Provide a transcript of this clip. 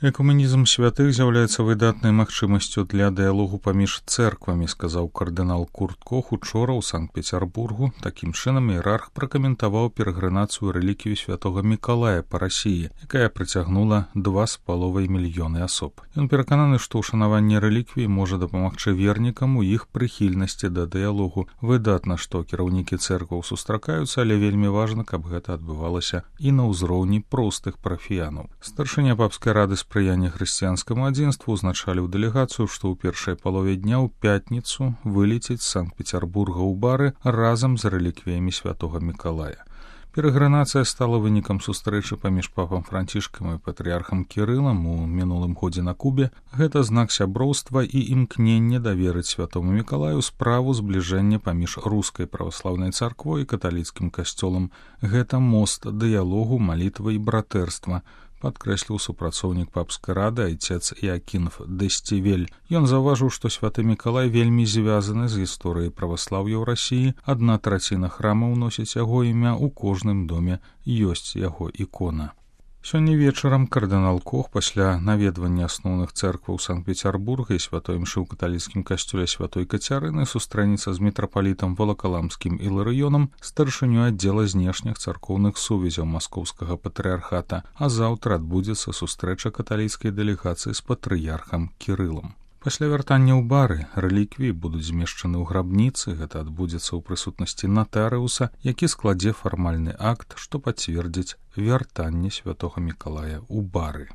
Экуменізм святых з'яўляецца выдатнай магчымасцю для дыялогу паміж цэрквамі, сказаў кардынал Курт Кох учора ў Санкт-Пецярбургу. Такім чынам іерарх пракаментаваў перагранацыю рэліквіі святога Мікалая па Расіі, якая прыцягнула 2,5 мільёны асоб. Ён перакананы, што ўшанаванне рэліквіі можа дапамагчы вернікам у іх прыхільнасці да дыялогу. Выдатна, што кіраўнікі цэркваў сустракаюцца, але вельмі важна, каб гэта адбывалася і на ўзроўні простых парафіянаў. Старшыня папскай рады спрыяння хрысціянскаму адзінству узначаліў дэлегацыю, што ў першай палове дня ў пятніцу вылецець з Санкт-Пецярбурга ў бары разам з рэліквіямі святога Мікалая. Перагранацыя стала вынікам сустрэчы паміж папам Францішкам і патрыярхам Кірылам у мінулым годзе на Кубе. Гэта знак сяброўства і імкнення даверыць святому Мікалаю справу збліжэння паміж рускай праваслаўнай царквой і каталіцкім касцёлам. Гэта мост дыялогу, малітвы і братэрства, падкрэсліў супрацоўнік папскай рады айцец Іакінф Дэсцівель. Ён заўважыў, што святы Мікалай вельмі звязаны з гісторыяй праваслаўя ў Расіі. 1/3 храмаў носіць яго імя, у кожным доме ёсць яго ікона. Сёння вечарам кардынал Кох пасля наведвання асноўных цэркваў Санкт-Пецярбурга і святой імшы ў каталіцкім касцёле святой Кацярыны сустрэнецца з мітрапалітам Валакаламскім Іларыёнам, старшынёй аддзела знешніх царкоўных сувязяў маскоўскага патрыярхата, а заўтра адбудзецца сустрэча каталіцкай дэлегацыі з патрыярхам Кірылам. Пасля вяртання ў бары рэліквіі будуць змешчаны ў грабніцы. Гэта адбудзецца ў прысутнасці натарыуса, які складзе фармальны акт, што пацвердзіць вяртанне святога Мікалая ў бары.